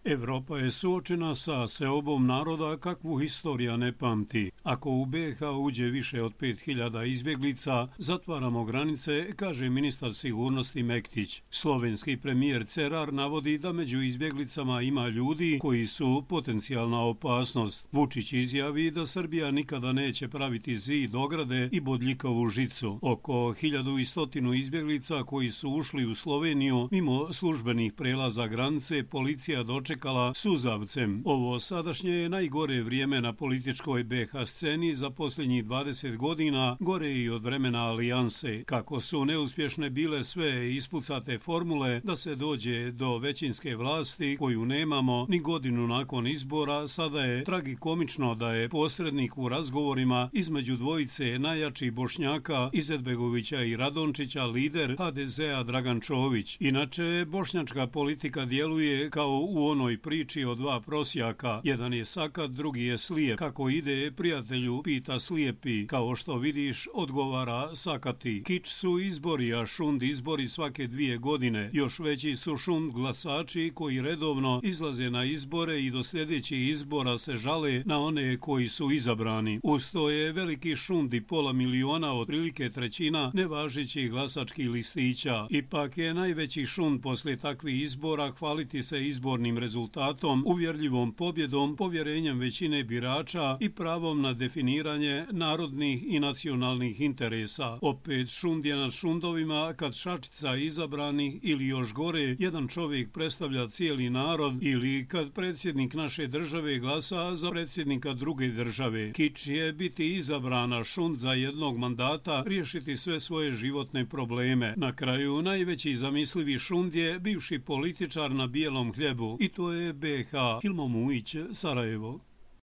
Evropa je suočena sa seobom naroda kakvu historija ne pamti. Ako u BiH uđe više od 5000 izbjeglica, zatvaramo granice, kaže ministar sigurnosti Mektić. Slovenski premijer Cerar navodi da među izbjeglicama ima ljudi koji su potencijalna opasnost. Vučić izjavi da Srbija nikada neće praviti zid, ograde i bodljikavu žicu. Oko 1100 izbjeglica koji su ušli u Sloveniju mimo službenih prelaza granice policija dočekala suzavcem. Ovo sadašnje je najgore vrijeme na političkoj BiH sceni za posljednjih 20 godina, gore i od vremena alijanse. Kako su neuspješne bile sve ispucate formule da se dođe do većinske vlasti koju nemamo ni godinu nakon izbora, sada je tragikomično da je posrednik u razgovorima između dvojice najjačih Bošnjaka Izetbegovića i Radončića lider HDZ-a Dragan Čović. Inače, bošnjačka politika djeluje kao u onoj priči o dva prosjaka. Jedan je sakat, drugi je slijep. Kako ide, prijatelju, pita slijepi. Kao što vidiš, odgovara sakati. Kič su izbori, a šund izbori svake 2 godine. Još veći su šund glasači koji redovno izlaze na izbore i do sljedećih izbora se žale na one koji su izabrani. Uz to je veliki šund i 500.000, otprilike trećina nevažećih glasačkih listića. Ipak je najveći šund poslije takvih izbora hvaliti se izbornim rezultatom, uvjerljivom pobjedom, povjerenjem većine birača i pravom na definiranje narodnih i nacionalnih interesa. Opet šund je nad šundovima kad šačica izabranih ili još gore, jedan čovjek predstavlja cijeli narod ili kad predsjednik naše države glasa za predsjednika druge države. Kič je biti izabrana, šund za jednog mandata, riješiti sve svoje životne probleme. Na kraju najveći zamislivi šund je bivši političar na bijelom hljebu i to je BiH. Hilmo Mujić, Sarajevo.